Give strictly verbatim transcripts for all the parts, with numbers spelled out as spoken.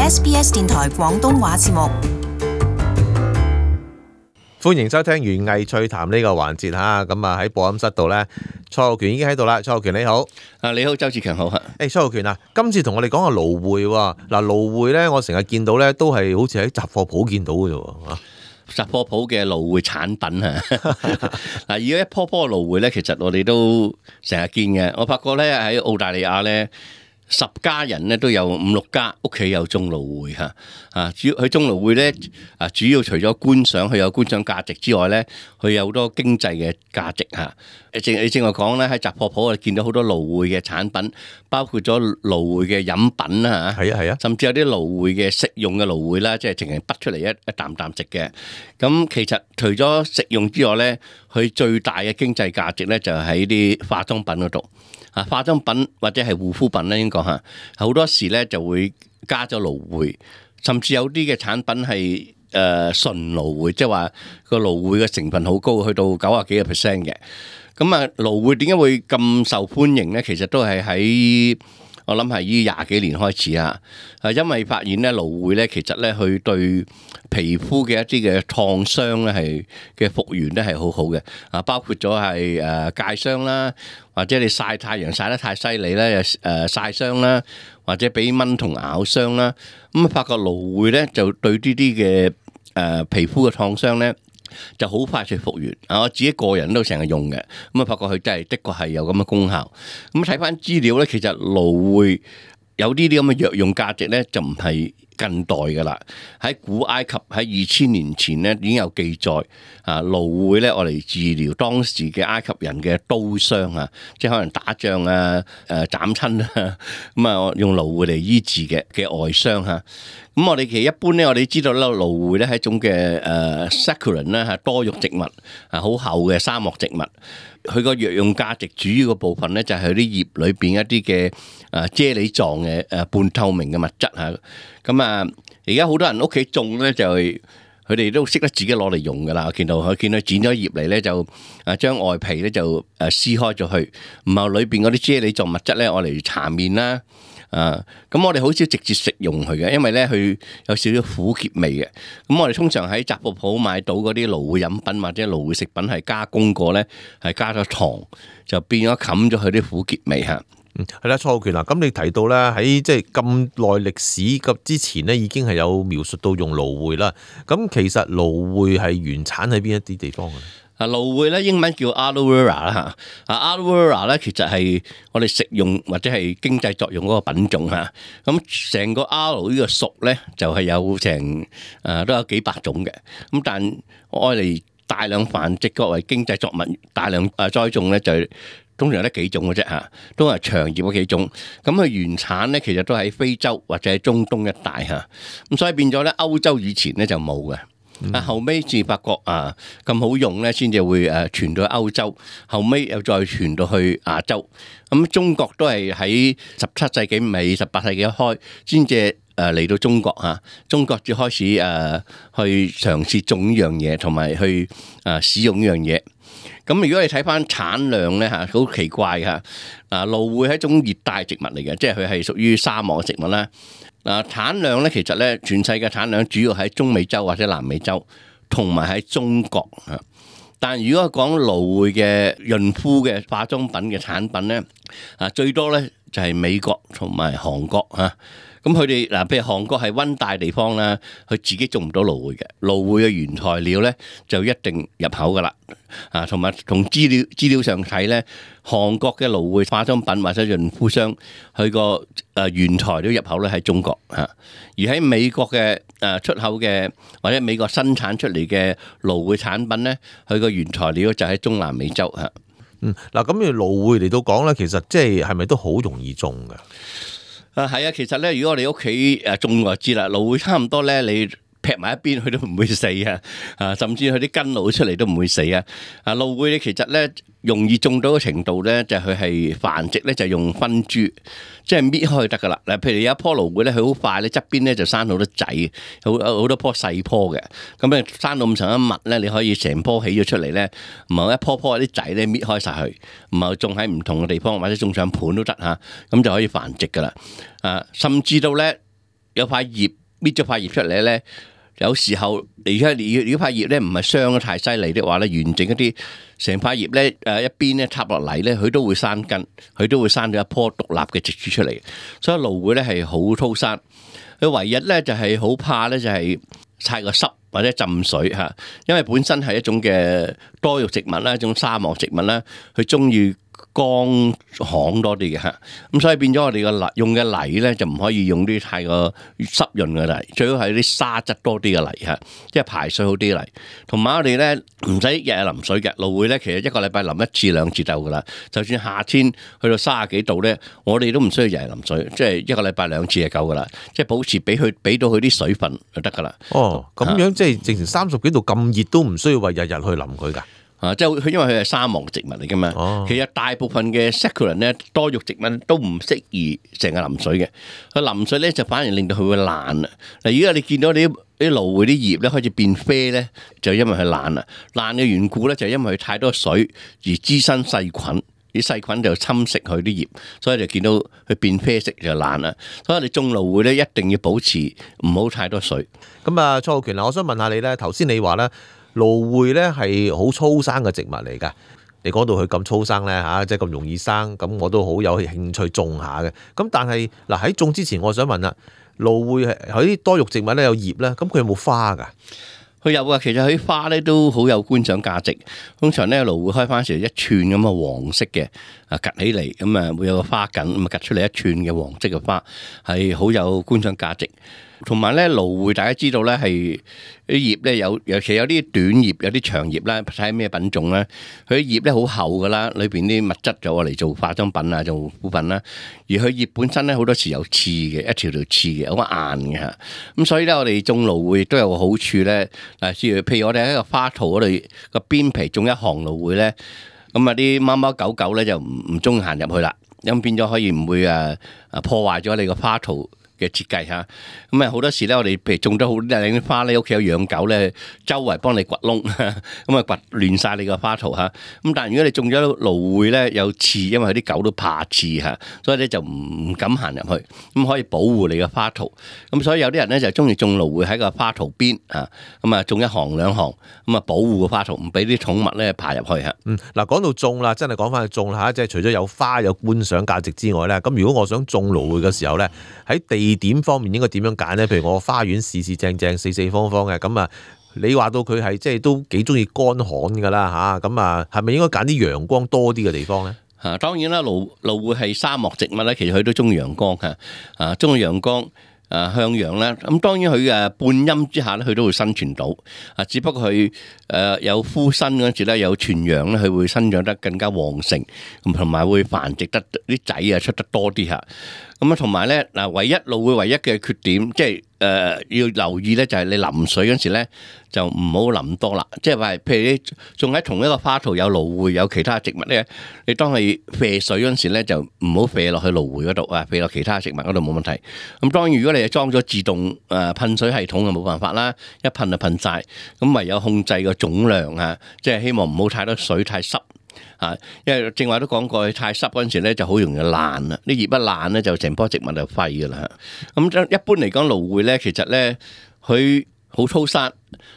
S B S 電台廣東話節目。歡迎收聽園藝趣談呢個環節嚇，咁啊喺播音室度咧，蔡浩權已經喺度啦。蔡浩權你好，啊你好，周志強好嚇。誒蔡浩權啊，今次同我哋講下蘆薈喎。嗱蘆薈咧，我成日見到咧都係好似喺雜貨鋪見到嘅啫喎。雜貨鋪嘅蘆薈產品啊，嗱，而家一樖樖蘆薈咧，其實我哋都成日見嘅。我發覺咧喺澳大利亞咧，十家人咧都有五六家屋企有種蘆薈嚇，啊主要佢種蘆薈咧啊，主要除咗觀賞佢有觀賞價值之外咧，佢有好多經濟嘅價值嚇。正你正話講咧，喺雜貨鋪我哋見到好多蘆薈嘅產品，包括咗蘆薈嘅飲品啦嚇，係啊係啊，甚至有啲蘆薈嘅食用嘅蘆薈啦，即係淨係剝出嚟一一啖啖食嘅。咁其實除咗食用之外咧，佢最大嘅經濟價值咧就係喺啲化妝品嗰度。啊，化妝品或者係護膚品咧，應該講嚇，好多時咧就會加咗蘆薈，甚至有啲嘅產品係誒、呃、純蘆薈，即係話個蘆薈嘅成分好高，去到九啊幾個 percent 嘅。咁啊，蘆薈點解會咁受歡迎咧？其實都係喺我諗係呢廿幾年開始啊，係因為發現咧蘆薈咧，其實咧佢對皮膚嘅一啲嘅燙傷咧係嘅復原咧係好好嘅啊，包括咗係誒戒傷啦，或者你曬太陽曬得太犀利咧，誒曬傷啦，或者俾蚊蟲咬傷啦，咁啊發覺蘆薈咧就對呢啲嘅誒皮膚嘅燙傷咧就好快脆復原啊！我自己個人都成日用嘅，咁啊發覺佢真係的確係有咁嘅功效。咁睇翻資料咧，其實蘆薈有呢啲咁嘅藥用價值咧，就唔係近代噶啦。喺古埃及喺二千年前咧已經有記載啊，蘆薈咧我嚟治療當時嘅埃及人嘅刀傷啊，即係可能打仗啊、誒斬親啊，咁啊用蘆薈嚟醫治嘅嘅外傷嚇。咁我哋其實一般咧，我哋知道咧，蘆薈咧係一種嘅誒 succulent 咧係多肉植物，啊好厚嘅沙漠植物。佢個藥用價值主要嘅部分咧就係佢啲葉裏邊一啲嘅誒啫喱狀嘅誒半透明嘅物質嚇。咁啊，而家好多人屋企種咧就係佢哋都識得自己攞嚟用噶啦。我見到佢見到剪咗葉嚟咧就誒將外皮咧就誒撕開咗去，然後裏邊嗰啲啫喱狀物質咧我嚟搽面啦。啊，咁我哋好少直接食用佢嘅，因為咧佢有少少苦澀味嘅。咁我哋通常喺雜貨鋪買到嗰啲蘆薈飲品或者蘆薈食品係加工過咧，係加咗糖，就變咗冚咗佢啲苦澀味嚇。嗯，係啦，蔡浩權啊，咁你提到咧喺即係咁耐歷史及之前咧，已經係有描述到用蘆薈啦。咁其實蘆薈係原產喺邊一啲地方嘅？啊，蘆薈咧英文叫 aloe vera 啦嚇，啊 aloe vera 咧其實係我哋食用或者係經濟作用嗰個品種嚇。咁成個 aloe 呢個屬咧就係有成誒都有幾百種嘅。咁但愛嚟大量繁殖作為經濟作物大量誒栽種咧就通常得幾種嘅啫嚇，都係長葉嗰幾種。咁佢原產咧其實都喺非洲或者係中東一帶嚇。咁所以變咗咧歐洲以前咧就冇嘅。啊，後尾至發覺啊咁好用咧，先至會誒傳到歐洲，後尾又再傳到去亞洲。咁中國都係喺十七世紀尾、十八世紀一開先至誒嚟到中國嚇。中國至開始誒去嘗試種呢樣嘢，同埋去誒使用呢樣嘢。咁如果你睇翻產量咧嚇，好奇怪嚇。啊，蘆薈係一種熱帶植物嚟嘅，即係佢係屬於沙漠嘅植物啦。嗱，產量咧，其實咧，全世界產量主要喺中美洲或者南美洲，同埋喺中國啊。但如果講蘆薈嘅潤膚嘅化妝品嘅產品咧，啊最多咧就係美國同埋韓國啊。咁佢哋嗱，譬如韓國係溫帶地方啦，佢自己種唔到蘆薈嘅，蘆薈嘅原材料咧就一定入口噶啦。啊，同埋同資料資料上睇咧，韓國嘅蘆薈化妝品或者潤膚商，佢個誒原材料入口咧喺中國嚇，而喺美國嘅誒出口嘅或者美國生產出嚟嘅蘆薈產品咧，佢個原材料就喺中南美洲嚇。嗯，嗱咁要蘆薈嚟到講咧，其實即係係咪都好容易種㗎？啊，係啊，其實咧，如果我哋屋企誒種就知啦，蘆薈差唔多咧，你劈埋一邊，佢都唔會死啊！啊，甚至佢啲根露出嚟都唔會死啊！啊，蘆薈咧，其實咧容易種到嘅程度咧，就係佢係繁殖咧，就用分株，即係搣開得噶啦。嗱，譬如有一棵蘆薈咧，佢好快咧，側邊咧就生好多仔，好好多棵細棵嘅。咁咧生到咁上一密咧，你可以成棵起咗出嚟咧，唔係一棵棵啲仔咧搣開晒佢，唔係種喺唔同嘅地方或者種上盤都得嚇，咁就可以繁殖噶啦。啊，甚至到咧。有塊葉搣咗塊葉出嚟咧，有時候而家如果塊葉咧唔係傷得太犀利的話咧，完整一啲成塊葉咧誒一邊咧插落嚟咧，佢都會生根，佢都會生咗一棵獨立嘅植株出嚟。所以蘆薈咧係好粗生，佢唯一咧就係好怕咧就係太過濕或者浸水嚇，因為本身係一種嘅多肉植物啦，一種沙漠植物啦，佢中意乾旱多啲嘅嚇，咁所以變咗我哋個泥用嘅泥咧就唔可以用啲太過濕潤嘅泥，最好係啲沙質多啲嘅泥嚇，即係排水好啲嘅泥。同埋我哋咧唔使日日淋水嘅，蘆薈咧其實一個禮拜淋一次兩次就夠噶啦。就算夏天去到三十幾度咧，我哋都唔需要日日淋水，即係一個禮拜兩次就夠噶啦，即係保持俾佢俾到佢啲水分就得噶啦。哦，咁樣即係直情三十幾度咁熱都唔需要話日日去淋佢㗎。啊，即係佢因為佢係沙漠植物嚟噶嘛，哦、其實大部分嘅 succulent 咧多肉植物都唔適宜成日淋水嘅，佢淋水咧就反而令到佢會爛啊！嗱，如果你見到你啲啲蘆薈啲葉咧開始變啡咧，就因為佢爛啦，爛嘅緣故咧就因為佢太多水而滋生細菌，啲細菌就侵蝕佢啲葉，所以就見到佢變啡色就爛啦。所以你種蘆薈咧一定要保持唔好太多水。咁啊，蔡浩權啊，我想問下你咧，頭先你話咧。蘆薈咧係好粗生嘅植物嚟㗎，你講到佢咁粗生咧嚇，即係咁容易生，咁我都好有興趣種下嘅。咁但係嗱喺種之前，我想問啦，蘆薈係喺啲多肉植物咧有葉咧，咁佢有冇花㗎？佢有啊，其實佢啲花咧都好有觀賞價值。通常咧蘆薈開翻時一串咁嘅黃色嘅啊，趌起嚟咁啊，會有個花梗咁啊，趌出嚟一串嘅黃色嘅花，係好有觀賞價值。同埋咧，蘆薈大家知道咧係啲葉咧有，尤其有啲短葉，有啲長葉啦，睇下咩品種咧。佢啲葉咧好厚噶啦，裏邊啲物質就攞嚟做化妝品啊，做護膚品啦。而佢葉本身咧好多時有刺嘅，一條條刺嘅，好硬嘅嚇。咁所以咧，我哋種蘆薈亦都有個好處咧。嗱，譬如我哋喺個花槽嗰度個邊皮種一行蘆薈咧，咁啊啲貓貓狗狗咧就唔唔中意行入去啦，咁變咗可以唔會誒誒破壞咗你個花槽嘅設計嚇，咁啊好多時咧，我哋譬如種咗好靚啲花咧，屋企有養狗咧，周圍幫你掘窿，咁啊掘亂晒你個花槽嚇。咁但係如果你種咗蘆薈咧，有刺，因為啲狗都怕刺嚇，所以咧就唔敢行入去，咁可以保護你個花槽。咁所以有啲人咧就中意種蘆薈喺個花槽邊嚇，咁啊種一行兩行，咁啊保護個花槽，唔俾啲寵物咧爬入去嚇。嗯，嗱講到種啦，真係講翻去種啦嚇，即係除咗有花有觀賞價值之外咧，咁如果我想種蘆薈嘅時候咧，喺地點方面應該點樣揀咧？譬如我花園四四正正、四四方方嘅，咁啊，你話到佢係即係都幾中意乾旱噶啦嚇，咁啊，係咪應該揀啲陽光多啲嘅地方咧？嚇，當然啦，蘆蘆薈係沙漠植物咧，其實佢都中意陽光嘅，啊，中意陽光。誒向陽啦，咁當然佢誒半陰之下咧，佢都會生存到。啊，只不過佢誒有枯身嗰陣時咧，有全陽咧，佢會生長得更加旺盛，咁同埋會繁殖得啲仔啊出得多啲嚇。咁啊，同埋咧嗱，唯一蘆薈唯一嘅缺點，即係誒要留意咧，就係你淋水嗰陣時咧，就唔好淋多啦。即係話，譬如你種喺同一個花槽有蘆薈，有其他植物咧，你當係啡水嗰陣時咧，就唔好啡落去蘆薈嗰度啊，啡落其他植物嗰度冇問題。咁當然如果你係裝咗自動誒噴水系統就冇辦法啦，一噴就噴晒。咁唯有控制個總量啊，即係希望唔好太多水太濕。啊，因為正話都講過，太濕嗰陣時咧就好容易爛啦，啲葉一爛咧就成棵植物就廢噶啦。咁一般嚟講，蘆薈咧其實咧佢好粗生，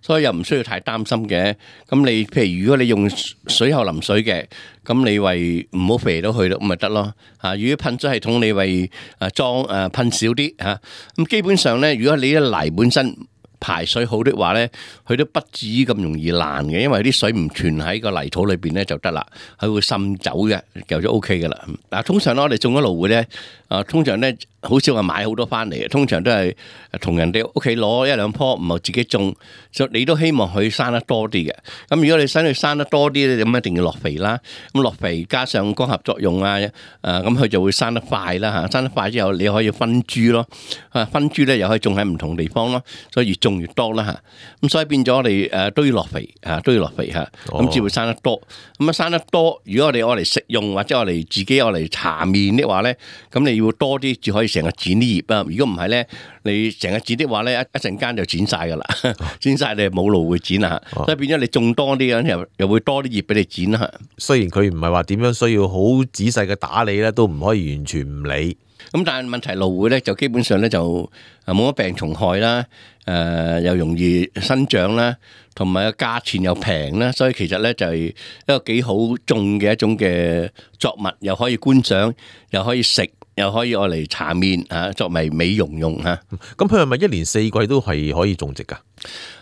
所以又唔需要太擔心嘅。咁你譬如如果你用水後淋水嘅，咁你為唔好肥到去咯，咁咪得咯。嚇，如果噴水系統你為誒裝誒噴少啲嚇，咁基本上咧，如果你啲泥本身排水好的話咧，佢都不至於咁容易爛嘅，因為啲水唔存喺個泥土裏邊咧就得啦，佢會滲走嘅，就就 O K 噶啦。嗱，通常咧我哋種咗蘆薈咧，啊通常咧好少話買好多翻嚟嘅，通常都係同人哋屋企攞一兩棵，唔係自己種，就你都希望佢生得多啲嘅。咁如果你想佢生得多啲咧，咁一定要落肥啦。咁落肥加上光合作用啊，誒咁佢就會生得快啦嚇。生得快之後，你可以分株咯，啊分株咧又可以種喺唔同地方咯，所以越種越多啦嚇。咁所以變咗我哋誒都要落肥嚇，都要落肥嚇，咁至會生得多。咁啊生得多，如果我哋愛嚟食用或者我哋自己愛嚟搽面的話咧，咁你要多啲至可以成日剪啲葉啊。如果唔係咧，你成日剪的話咧，一一陣間就剪晒噶啦，剪晒你冇蘆薈剪啊。所以變咗你種多啲咁又又會多啲葉俾你剪啊。雖然佢唔係話點樣需要好仔細嘅打理咧，都唔可以完全唔理。咁但係問題蘆薈咧就基本上咧就冇乜病蟲害啦，誒、呃、又容易生長啦，同埋個價錢又平啦，所以其實咧就係一個幾好種嘅一種嘅作物，又可以觀賞，又可以食，又可以愛嚟搽面嚇，作為美容用嚇。咁佢係咪一年四季都係可以種植㗎？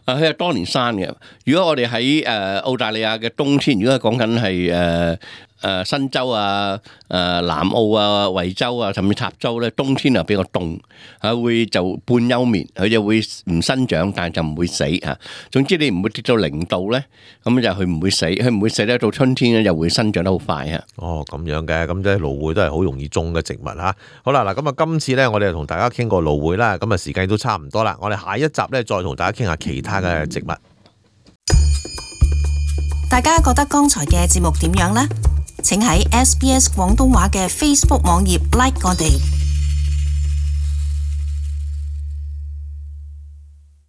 啊，佢係多年生嘅。如果我哋喺誒澳大利亞嘅冬天，如果係講緊係誒誒新州啊、誒、呃、南澳啊、惠州啊，甚至塔州咧，冬天啊比較凍，啊會就半休眠，佢就會唔生長，但係就唔會死嚇。總之你唔會跌到零度咧，咁就佢唔會死，佢唔會死咧。到春天咧又會生長得好快嚇。哦，咁樣嘅，咁即係蘆薈都係好容易種嘅植物嚇。好啦，嗱咁啊，今次咧我哋就同大家傾過蘆薈啦，咁啊時間都差唔多啦，我哋下一集咧再同大家傾下其他嘅植物。大家覺得剛才嘅節目點樣呢？請喺 S B S 廣東話嘅 Facebook 網頁 like 我哋。